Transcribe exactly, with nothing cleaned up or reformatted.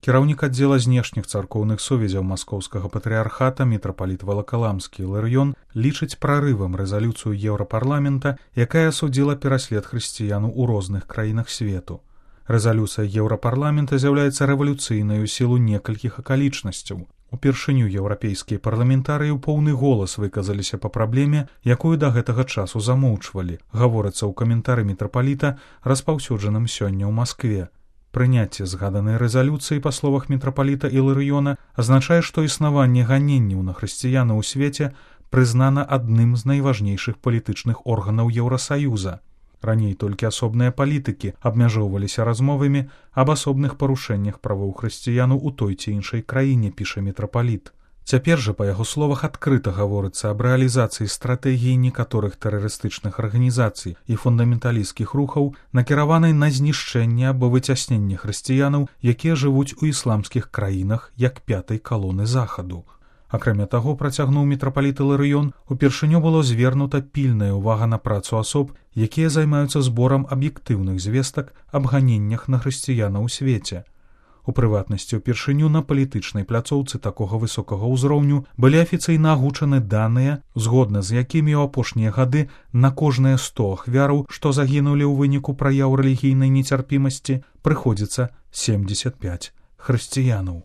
Кіраўнік аддзела знешніх царкоўных сувязяў маскоўскага патрыархата мітрапаліт Валакаламскі Іларыён лічыць прарывам рэзалюцыю Еўрапарламента, якая асудзіла пераслед хрысціян у розных краінах свету. Рэзалюцыя Еўрапарламента з'яўляецца рэвалюцыйнай у сілу некалькіх акалічнасцяў. Упершыню еўрапейскія парламентарыі ў поўны голас выказаліся па праблеме, якую да гэтага часу замоўчвалі, гаворыцца ў каментары мітрапаліта, распаўсюджаным сёння ў Маскве. Прыняцце згаданай рэзалюцыі, па словах мітрапаліта Іларыёна, азначае, што існаванне ганенняў на хрысціяна ў свеце прызнана адным з найважнейшых палітычных органаў Еўрасаюза. Раней толькі асобныя палітыкі абмяжоўваліся размовамі аб асобных парушэннях правоў хрысціяну ў той ці іншай краіне, піша мітрапаліт. Цяпер жа, па яго словах, адкрыта гаворыцца аб рэалізацыі стратэгіі некаторых тэрарыстычных арганізацый і фундаменталісцкіх рухаў, накіраванай на знішчэнне або выцясненне хрысціянаў, якія жывуць у ісламскіх краінах як пятай калоны захаду. Акрамя таго, працягнуў мітрапаліт Іларыён, упершыню было звернута пільная ўвага на працу асоб, якія займаюцца зборам аб'ектыўных звестак аб ганеннях на хрысціяна ў свеце. У прыватнасці, упершыню на палітычнай пляцоўцы такога высокага ўзроўню былі афіцыйна агучаны даныя, згодна з якімі ў апошнія гады на кожныя сто ахвяраў, што загінулі ў выніку праяў рэлігійнай нецярпімасці, прыходзіцца семдзесят пяць хрысціянаў.